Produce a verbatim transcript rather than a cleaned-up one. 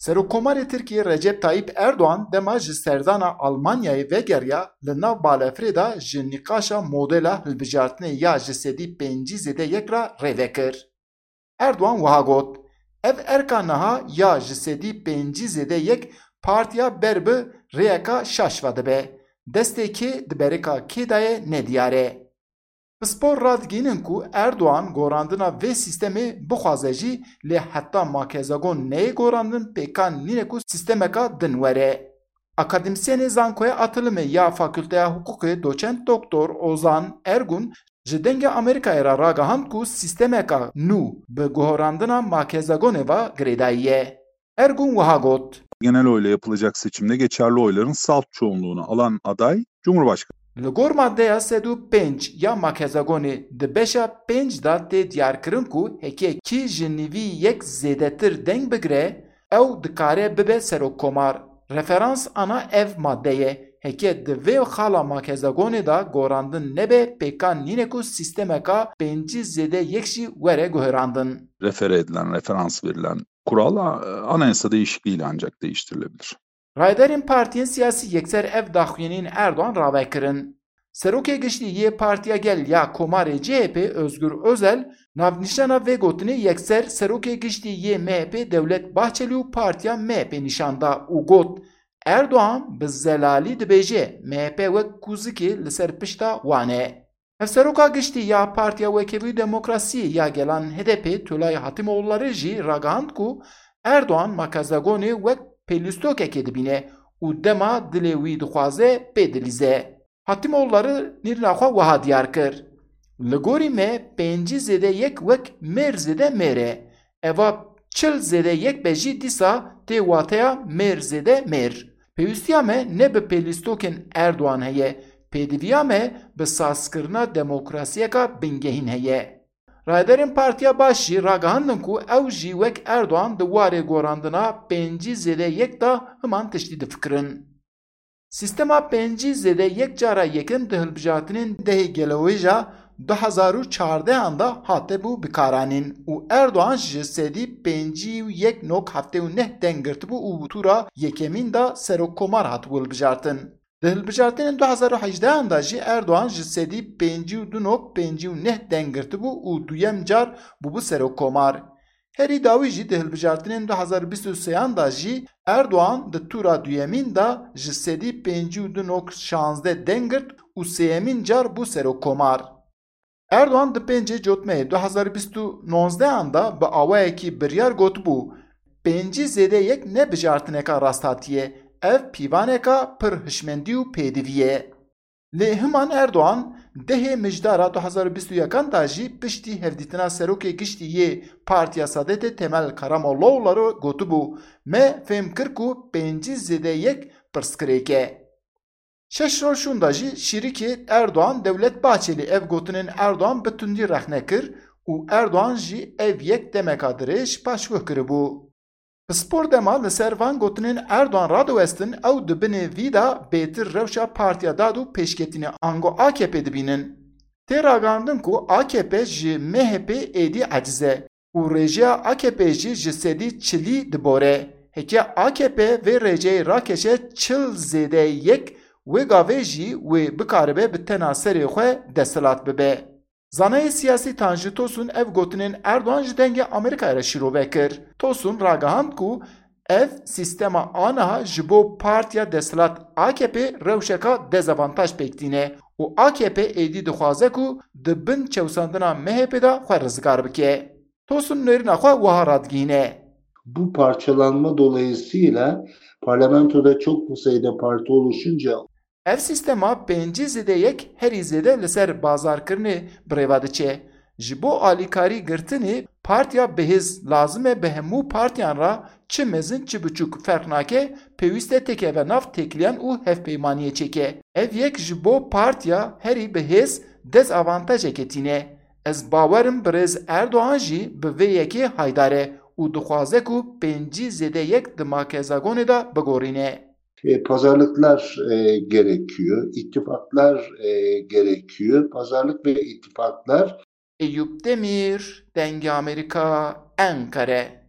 Serokkomarê Tirkiyê Recep Tayyip Erdoğan dema ji serdana Almanyayê vegeriya, li nav balefirê de ji nîqaşa modela hilbijartinê ya ji sedî pêncî zêde yek re rê vekir. Erdoğan wiha got, ev erka niha ya ji sedî pêncî zêde yek partiya ber bi rêyeka şaş ve dibe. Destê kê di berika kê de ye nediyar e. Pispor radigihînin ku Erdoğan gorandina vê sîstemê bixwaze jî, lê heta makezagon neyê gorandin pêkan nîne ku sîstemeka din were. Akademîsyenê Zankoya Atilimê ya Fakulteya Hiqûqê doçent doktor Ozan Ergun ji Dengê Amerîkayê re ragihand ku sîstemeka nû bi guherandina makezagonê ve girêdayî ye. Ergun wiha got. Genel oyla yapılacak seçimde geçerli oyların salt çoğunluğunu alan aday Cumhurbaşkanı. Li gor maddeya sed û pênc ya makezagonê di beşa pênc de tê diyarkirin ku heke kî ji nîvî yek zêdetir deng bigire, ew dikare bibe serokkomar. Referans ana ev madde ye. Heke di vê xala makezagonê de gorandin nebe, pêkan nîne ku sîstemeka pêncî zêde yek jî were guherandin. Refere edilen, referans verilen kural a- anayasa değişikliğiyle ancak değiştirilebilir. Rayderên partiyên siyasî yekser ev daxuyaniyên Erdoğan rave kirin. Serokê Giştî yê Partiya Gel ya Komarê C H P Özgür Özel navnîşana vê gotinê yekser Serokê Giştî yê M H P Devlet Bahçeli û Partiya M H P nîşan da û got, Erdoğan bi zelalî dibêje M H P wek kûzikê li ser pişta wan e. Hevseroka Giştî ya Partiya Wekhevî û Demokrasiyê ya Gelan H D P Tolay Hatimoğulları jî ragihand ku Erdoğan makezagonê wek pêlîstokekê dibîne û dema dilê wî dixwaze pê dilîze. Hatimoğulları nîrina xwe wiha diyar kir, Li gorî me pêncî zêde yek wek mêr zêde mêr e. Eva çil zêde yek be jî dîsa tê wateya mêr zêde mêr. Pêwîstiya me ne bi pêlîstokên Erdoğan heye, pêdiviya me bi sazkirina demokrasiyeka bingehîn heye. Rayderên Partiya Baş jî ragihandin ku ew jî wek Erdoğan di warê gorandina pêncî zêde yek de himan tiştî difikirin. Sîstema pêncî zêde yek cara yekem di hilbijartinên dehê gelewêja du hezar û çardehan de hatibû bikaranîn û Erdoğan ji sedî pêncî û yek nok heftê û neh deng girtibû û tûra yekemîn de serokkomar hatibû hilbijartin. Di hilbijartinên du hezar û hejdehan de jî Erdoğan ji sedî pêncî û du nok pêncî û neh deng girtibû û duyem car bûbû serokkomar. Herî dawî jî di hilbijartinên du hezar û bîst û sêyan de jî Erdoğan di tûra duyemîn de ji sedî pêncî û du nok şazdeh deng girt û sêyemîn car bû serokkomar. Erdoğan di pêncê Cotmeyê du hezar û bîst û nozdehan de bi awayekî biryar gotibû, pêncî zêde yek ne bijartineka rasthatî ye, ev pîvaneka pir hişmendî û pêdivî ye. Lê himan Erdoğan dehê Mijdara du hezar û bîst û yekan de jî piştî hevdîtina serokê giştî yê Partiya Saadetê Temel Karamollaoğlu gotibû, me fêm kir ku pêncî zêde yek pirsgirêk e. Şeş roj şûnda jî şîrikê Erdoğan Devlet Bahçeli ev gotinên Erdoğan bi tundî rexne kir û Erdoğan jî ev yek demeka dirêj paşguh kiribû. Pispor dema li ser van gotinên Erdoğan radiwestin, ew di binê vî de bêtir rewşa Partiya Dad û Pêşketinê ango A K P dibînin. Tê ragihandin ku A K P ji M H P êdî eciz e û rêjeya A K P jî ji sedî çilî dibore. Heke A K P vê rêceyê rakeşe çil zêde yek, wê gavê jî wê bikaribe bi tena serê xwe desthilat bibe. Zanayê siyasî Tanju Tosun ev gotinên Erdoğan ji Dengê Amerîkayê re şîrove kir. Tosun ragihand ku ev sîstema aniha ji bo partiya desthilat A K P rewşeka dezavantaj pêk tîne û A K P êdî dixwaze ku di bin çewsandina M H P de xwe rizgar bike. Tosun nêrîna xwe wiha radigihîne. Bu parçalanma dolayısıyla parlamentoda çok sayıda parti oluşunca Ev sîstema pêncî zêde yek herî zêde li ser bazarkirinê bi rê ve diçe. Ji bo alîkarî girtinê partiya bihêz lazim e bi hemû partiyan re çi mezin çi biçûk ferq nake, pêwîst e têkeve nav têkiliyan û hevpeymaniyê çêke. Ev yek ji bo partiya herî bihêz dezavantajeke tîne. Ez bawer im birêz Erdoğan jî bi vê yekê haydar e û dixwaze ku pêncî zêde yek di makezagonê de bigorîne. E, pazarlıklar e, gerekiyor, ittifaklar e, gerekiyor. Pazarlık ve ittifaklar Eyüp Demir, Dengê Amerîka, Enqere.